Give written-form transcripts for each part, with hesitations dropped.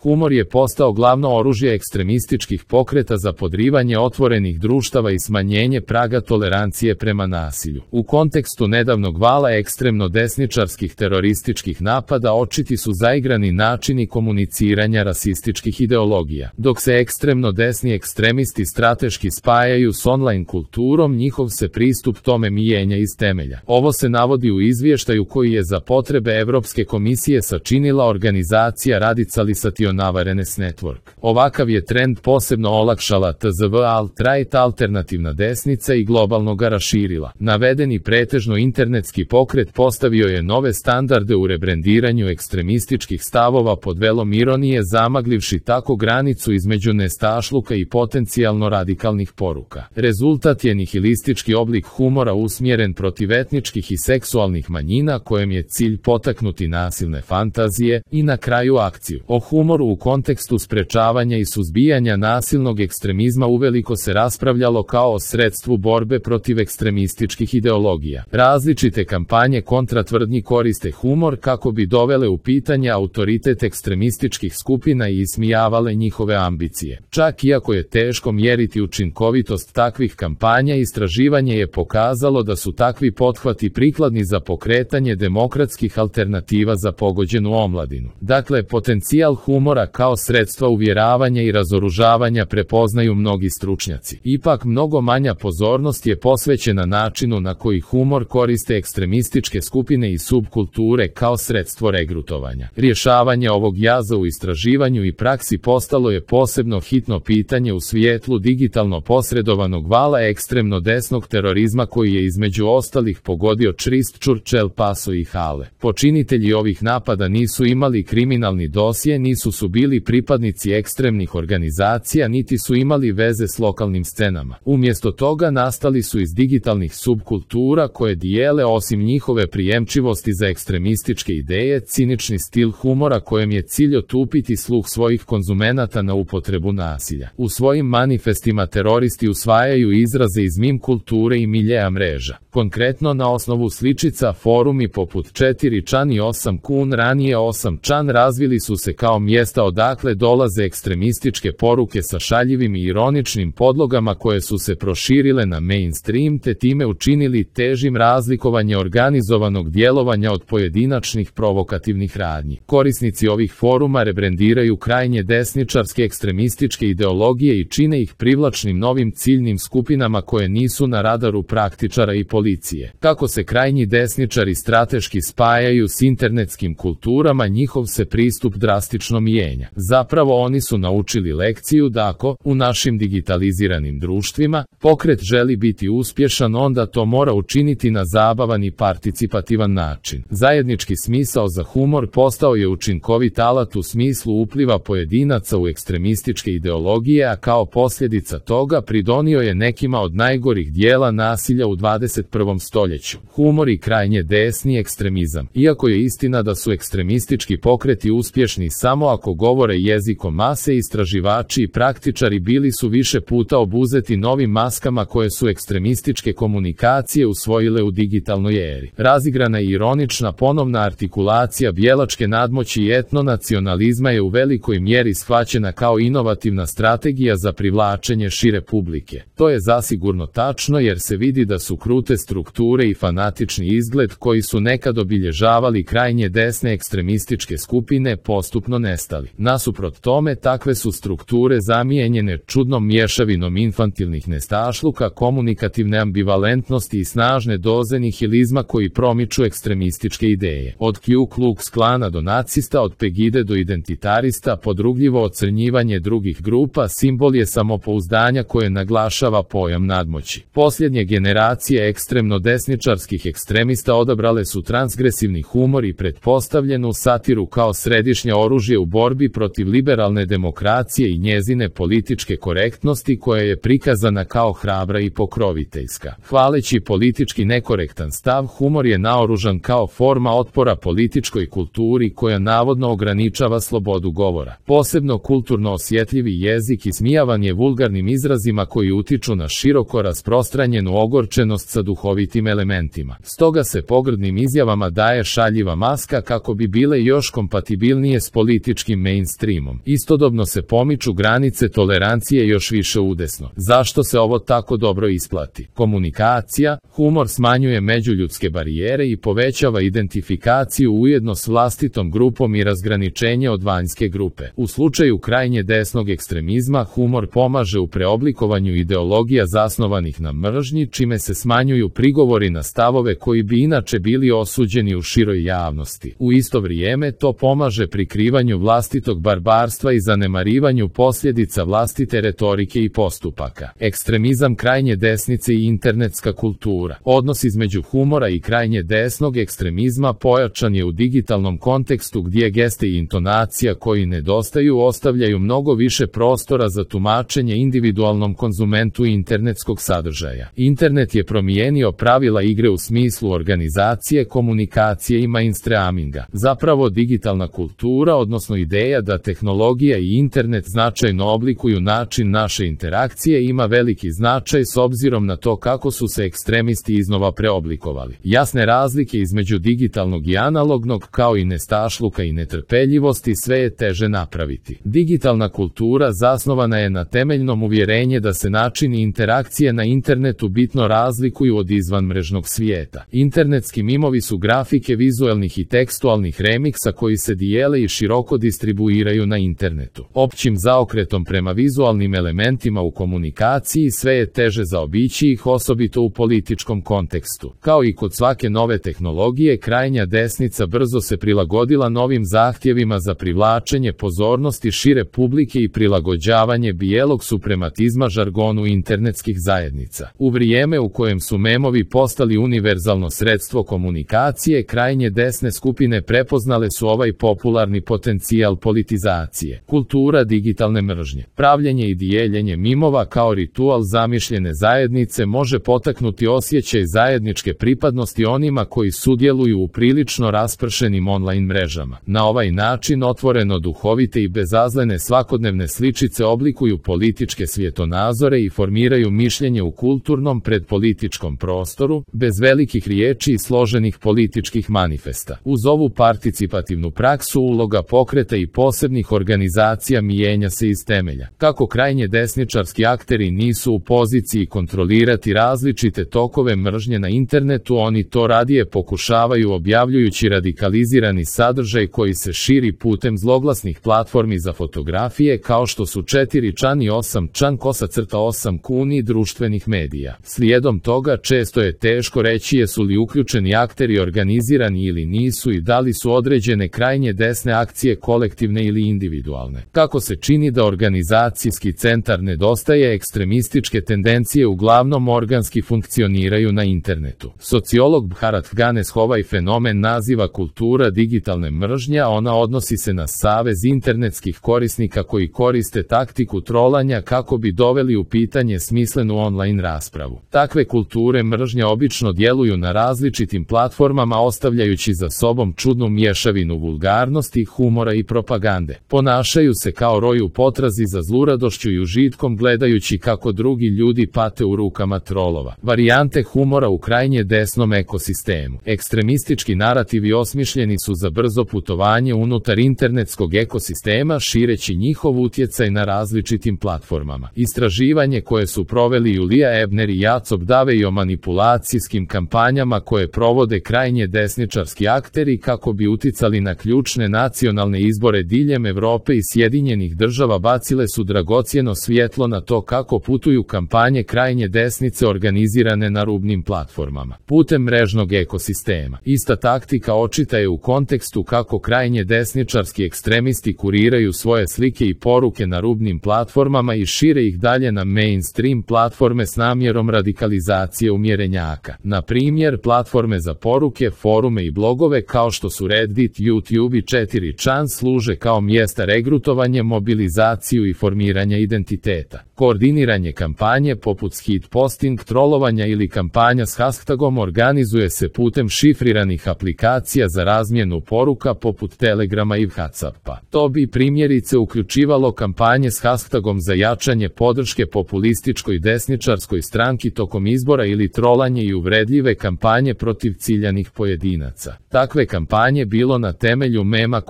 Humor je postao glavno oružje ekstremističkih pokreta za podrivanje otvorenih društava i smanjenje praga tolerancije prema nasilju. U kontekstu nedavnog vala ekstremno desničarskih terorističkih napada očiti su zaigrani načini komuniciranja rasističkih ideologija. Dok se ekstremno desni ekstremisti strateški spajaju s online kulturom, njihov se pristup tome mijenja iz temelja. Ovo se navodi u izvještaju koji je za potrebe Evropske komisije sačinila organizacija Radicalisation Awareness Network. Ovakav je trend posebno olakšala TZV alt-right alternativna desnica i globalno ga raširila. Navedeni pretežno internetski pokret postavio je nove standarde u rebrendiranju ekstremističkih stavova pod velom ironije, zamagljivši tako granicu između nestašluka i potencijalno radikalnih poruka. Rezultat je nihilistički oblik humora usmjeren protiv etničkih i seksualnih manjina, kojem je cilj potaknuti nasilne fantazije i na kraju akciju. O humoru u kontekstu sprečavanja i suzbijanja nasilnog ekstremizma uveliko se raspravljalo kao o sredstvu borbe protiv ekstremističkih ideologija. Različite kampanje kontra tvrdnji koriste humor kako bi dovele u pitanje autoritet ekstremističkih skupina i ismijavale njihove ambicije. Čak iako je teško mjeriti učinkovitost takvih kampanja, istraživanje je pokazalo da su takvi pothvati prikladni za pokretanje demokratskih alternativa za pogođenu omladinu. Dakle, potencijal humora kao sredstva uvjeravanja i razoružavanja prepoznaju mnogi stručnjaci. Ipak mnogo manja pozornost je posvećena načinu na koji humor koriste ekstremističke skupine i subkulture kao sredstvo regrutovanja. Rješavanje ovog jaza u istraživanju i praksi postalo je posebno hitno pitanje u svijetlu digitalno posredovanog vala ekstremno desnog terorizma koji je između ostalih pogodio Christchurch, El Paso i Halle. Počinitelji ovih napada nisu imali kriminalni dosje, nisu su bili pripadnici ekstremnih organizacija, niti su imali veze s lokalnim scenama. Umjesto toga nastali su iz digitalnih subkultura koje dijele, osim njihove prijemčivosti za ekstremističke ideje, cinični stil humora kojem je cilj otupiti sluh svojih konzumenata na upotrebu nasilja. U svojim manifestima teroristi usvajaju izraze iz meme kulture i miljeja mreža. Konkretno, na osnovu sličica, forumi poput 4chan i 8kun, ranije 8chan, razvili su se kao mjesta odakle dolaze ekstremističke poruke sa šaljivim i ironičnim podlogama koje su se proširile na mainstream te time učinili težim razlikovanje organizovanog djelovanja od pojedinačnih provokativnih radnji. Korisnici ovih foruma rebrendiraju krajnje desničarske ekstremističke ideologije i čine ih privlačnim novim ciljnim skupinama koje nisu na radaru praktičara i policije. Kako se krajnji desničari strateški spajaju s internetskim kulturama, njihov se pristup drastično mijenja. Zapravo oni su naučili lekciju da ako, u našim digitaliziranim društvima, pokret želi biti uspješan, onda to mora učiniti na zabavan i participativan način. Zajednički smisao za humor postao je učinkovit alat u smislu upliva pojedinaca u ekstremističke ideologije, a kao posljedica toga pridonio je nekima od najgorih dijela nasilja u 21. stoljeću. Humor i krajnje desni ekstremizam. Iako je istina da su ekstremistički pokreti uspješni samo ako govore jezikom mase, istraživači i praktičari bili su više puta obuzeti novim maskama koje su ekstremističke komunikacije usvojile u digitalnoj eri. Razigrana i ironična ponovna artikulacija bijelačke nadmoći i etnonacionalizma je u velikoj mjeri shvaćena kao inovativna strategija za privlačenje šire publike. To je zasigurno tačno jer se vidi da su krute strukture i fanatični izgled koji su nekad obilježavali krajnje desne ekstremističke skupine postupno nestali. Nasuprot tome, takve su strukture zamijenjene čudnom mješavinom infantilnih nestašluka, komunikativne ambivalentnosti i snažne doze nihilizma koji promiču ekstremističke ideje. Od Ku Klux Klana do nacista, od Pegide do identitarista, podrugljivo ocrnjivanje drugih grupa simbol je samopouzdanja koje naglašava pojam nadmoći. Posljednje generacije ekstremno desničarskih ekstremista odabrale su transgresivni humor i pretpostavljenu satiru kao središnje oružje u borbi protiv liberalne demokracije i njezine političke korektnosti koja je prikazana kao hrabra i pokroviteljska. Hvaleći politički nekorektan stav, humor je naoružan kao forma otpora političkoj kulturi koja navodno ograničava slobodu govora. Posebno kulturno osjetljivi jezik ismijavan je vulgarnim izrazima koji utiču na široko rasprostranjenu ogorčenost sa duhovitim elementima. Stoga se pogrdnim izjavama daje šaljiva maska kako bi bile još kompatibilnije s političkim političkim mainstreamom. Istodobno se pomiču granice tolerancije još više udesno. Zašto se ovo tako dobro isplati? Komunikacija, humor smanjuje međuljudske barijere i povećava identifikaciju ujedno s vlastitom grupom i razgraničenje od vanjske grupe. U slučaju krajnje desnog ekstremizma, humor pomaže u preoblikovanju ideologija zasnovanih na mržnji, čime se smanjuju prigovori na stavove koji bi inače bili osuđeni u široj javnosti. U isto vrijeme to pomaže prikrivanju vlastitog barbarstva i zanemarivanju posljedica vlastite retorike i postupaka. Ekstremizam krajnje desnice i internetska kultura. Odnos između humora i krajnje desnog ekstremizma pojačan je u digitalnom kontekstu gdje geste i intonacija koji nedostaju ostavljaju mnogo više prostora za tumačenje individualnom konzumentu internetskog sadržaja. Internet je promijenio pravila igre u smislu organizacije, komunikacije i mainstreaminga. Zapravo digitalna kultura, odnosno ideja da tehnologija i internet značajno oblikuju način naše interakcije, ima veliki značaj s obzirom na to kako su se ekstremisti iznova preoblikovali. Jasne razlike između digitalnog i analognog, kao i nestašluka i netrpeljivosti, sve je teže napraviti. Digitalna kultura zasnovana je na temeljnom uvjerenje da se načini interakcije na internetu bitno razlikuju od izvanmrežnog svijeta. Internetski mimovi su grafike vizualnih i tekstualnih remiksa koji se dijele i široko distribuiraju na internetu. Općim zaokretom prema vizualnim elementima u komunikaciji sve je teže zaobići ih, osobito u političkom kontekstu. Kao i kod svake nove tehnologije, krajnja desnica brzo se prilagodila novim zahtjevima za privlačenje pozornosti šire publike i prilagođavanje bijelog suprematizma žargonu internetskih zajednica. U vrijeme u kojem su memovi postali univerzalno sredstvo komunikacije, krajnje desne skupine prepoznale su ovaj popularni potencijal politizacije. Kultura digitalne mržnje. Pravljenje i dijeljenje mimova kao ritual zamišljene zajednice može potaknuti osjećaj zajedničke pripadnosti onima koji sudjeluju u prilično raspršenim online mrežama. Na ovaj način otvoreno duhovite i bezazlene svakodnevne sličice oblikuju političke svjetonazore i formiraju mišljenje u kulturnom predpolitičkom prostoru, bez velikih riječi i složenih političkih manifesta. Uz ovu participativnu praksu uloga pokreta i posebnih organizacija mijenja se iz temelja. Kako krajnje desničarski akteri nisu u poziciji kontrolirati različite tokove mržnje na internetu, oni to radije pokušavaju objavljujući radikalizirani sadržaj koji se širi putem zloglasnih platformi za fotografije kao što su 4chan i 8chan _8 kuni društvenih medija. Slijedom toga često je teško reći jesu li uključeni akteri organizirani ili nisu i da li su određene krajnje desne akcije kolektivne ili individualne. Kako se čini da organizacijski centar nedostaje, ekstremističke tendencije uglavnom organski funkcioniraju na internetu. Sociolog Bharat Ganes ovaj fenomen naziva kultura digitalne mržnje, a ona odnosi se na savez internetskih korisnika koji koriste taktiku trolanja kako bi doveli u pitanje smislenu online raspravu. Takve kulture mržnje obično djeluju na različitim platformama ostavljajući za sobom čudnu mješavinu vulgarnosti, humora i propagande. Ponašaju se kao roj u potrazi za zluradošću i užitkom gledajući kako drugi ljudi pate u rukama trolova. Varijante humora u krajnje desnom ekosistemu. Ekstremistički narativi osmišljeni su za brzo putovanje unutar internetskog ekosistema šireći njihov utjecaj na različitim platformama. Istraživanje koje su proveli Julija Ebner i Jacob Davey o manipulacijskim kampanjama koje provode krajnje desničarski akteri kako bi uticali na ključne nacionalne izbore diljem Europe i Sjedinjenih Država bacile su dragocjeno svjetlo na to kako putuju kampanje krajnje desnice organizirane na rubnim platformama. Putem mrežnog ekosistema. Ista taktika očita je u kontekstu kako krajnje desničarski ekstremisti kuriraju svoje slike i poruke na rubnim platformama i šire ih dalje na mainstream platforme s namjerom radikalizacije umjerenjaka. Na primjer, platforme za poruke, forume i blogove kao što su Reddit, YouTube i 4chan služe kao mjesta regrutovanja, mobilizaciju i formiranja identiteta. Koordiniranje kampanje poput hit posting, trolovanja ili kampanja s hashtagom organizuje se putem šifriranih aplikacija za razmjenu poruka poput Telegrama i Whatsappa. To bi primjerice uključivalo kampanje s hashtagom za jačanje podrške populističkoj desničarskoj stranki tokom izbora ili trolanje i uvredljive kampanje protiv ciljanih pojedinaca. Takve kampanje bilo na temelju mema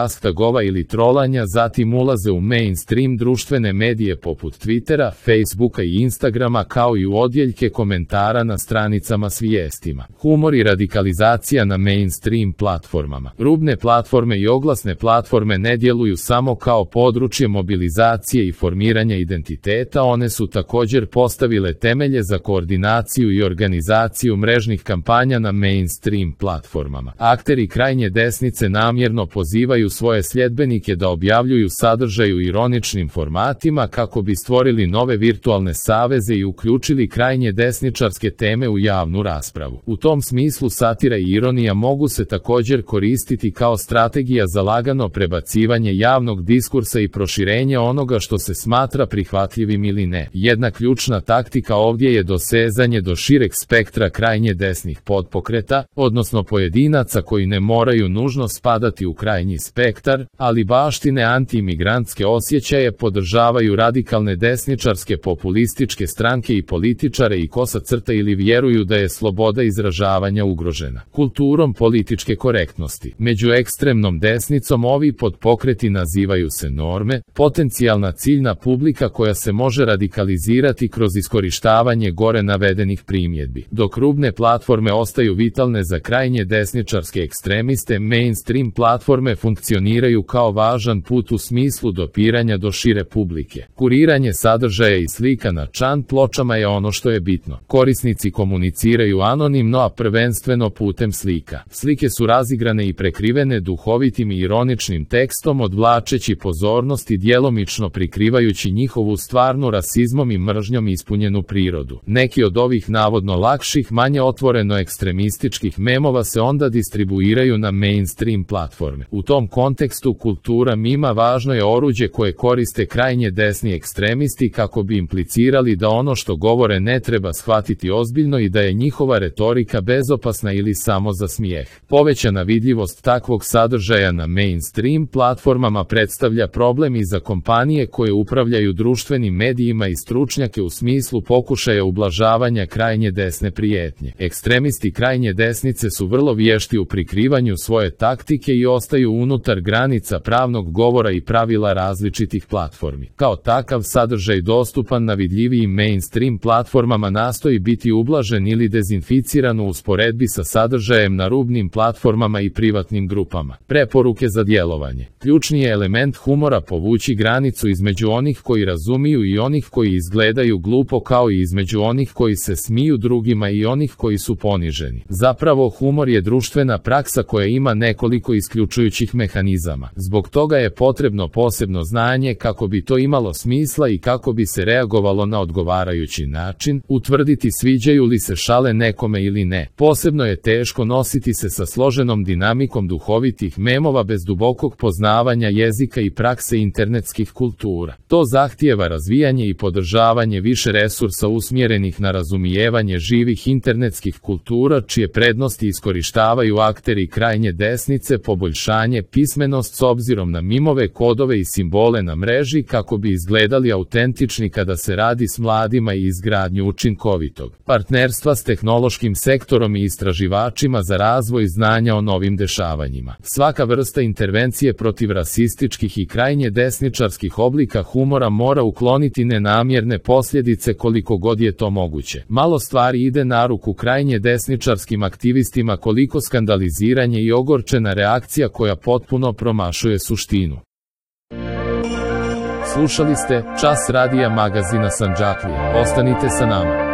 hashtagova ili trolanja, zatim ulaze u mainstream društvene medije poput Twittera, Facebooka i Instagrama, kao i u odjeljke komentara na stranicama s vijestima. Humor i radikalizacija na mainstream platformama. Rubne platforme i oglasne platforme ne djeluju samo kao područje mobilizacije i formiranja identiteta, one su također postavile temelje za koordinaciju i organizaciju mrežnih kampanja na mainstream platformama. Akteri krajnje desnice namjerno pozivaju svoje sljedbenike da objavljuju sadržaj u ironičnim formatima kako bi stvorili nove virtualne saveze i uključili krajnje desničarske teme u javnu raspravu. U tom smislu satira i ironija mogu se također koristiti kao strategija za lagano prebacivanje javnog diskursa i proširenje onoga što se smatra prihvatljivim ili ne. Jedna ključna taktika ovdje je dosezanje do šireg spektra krajnje desnih podpokreta, odnosno pojedinaca koji ne moraju nužno spadati u krajnji spektar, ali baštine anti-imigrantske osjećaje, podržavaju radikalne desničarske populističke stranke i političare i kosa crta ili vjeruju da je sloboda izražavanja ugrožena kulturom političke korektnosti. Među ekstremnom desnicom ovi podpokreti nazivaju se norme, potencijalna ciljna publika koja se može radikalizirati kroz iskorištavanje gore navedenih primjedbi. Dok rubne platforme ostaju vitalne za krajnje desničarske ekstremiste, mainstream platforme funkcioniraju kao važan put u smislu dopiranja do šire publike. Kuriranje sadržaja i slika na čan pločama je ono što je bitno. Korisnici komuniciraju anonimno, a prvenstveno putem slika. Slike su razigrane i prekrivene duhovitim i ironičnim tekstom, odvlačeći pozornost i djelomično prikrivajući njihovu stvarnu rasizmom i mržnjom ispunjenu prirodu. Neki od ovih navodno lakših, manje otvoreno ekstremističkih memova se onda distribuiraju na mainstream platforme. U tom kontekstu kultura mima važno je oruđe koje koriste krajnje desni ekstremisti kako bi implicirali da ono što govore ne treba shvatiti ozbiljno i da je njihova retorika bezopasna ili samo za smijeh. Povećana vidljivost takvog sadržaja na mainstream platformama predstavlja problem i za kompanije koje upravljaju društvenim medijima i stručnjake u smislu pokušaja ublažavanja krajnje desne prijetnje. Ekstremisti krajnje desnice su vrlo vješti u prikrivanju svoje taktike i ostaju unutar granica pravnog govora i pravila različitih platformi. Kao takav sadržaj dostupan na vidljivijim mainstream platformama nastoji biti ublažen ili dezinficiran u usporedbi sa sadržajem na rubnim platformama i privatnim grupama. Preporuke za djelovanje. Ključni je element humora povući granicu između onih koji razumiju i onih koji izgledaju glupo, kao i između onih koji se smiju drugima i onih koji su poniženi. Zapravo humor je društvena praksa koja ima nekoliko isključujućih mehanizama. Zbog toga je potrebno posebno znanje kako bi to imalo smisla i kako bi se reagovalo na odgovarajući način, utvrditi sviđaju li se šale nekome ili ne. Posebno je teško nositi se sa složenom dinamikom duhovitih memova bez dubokog poznavanja jezika i prakse internetskih kultura. To zahtijeva razvijanje i podržavanje više resursa usmjerenih na razumijevanje živih internetskih kultura, čije prednosti iskorištavaju akteri krajnje desnice, poboljšanje pismenost s obzirom na mimove, kodove i simbole na mreži kako bi izgledali autentični kada se radi s mladima i izgradnju učinkovitog partnerstva s tehnološkim sektorom i istraživačima za razvoj znanja o novim dešavanjima. Svaka vrsta intervencije protiv rasističkih i krajnje desničarskih oblika humora mora ukloniti nenamjerne posljedice koliko god je to moguće. Malo stvari ide na ruku krajnje desničarskim aktivistima koliko skandaliziranje i ogorčena reakcija koja potpuno promašuje suštinu. Slušali ste Čas radija magazina Sandžaklije. Ostanite sa nama.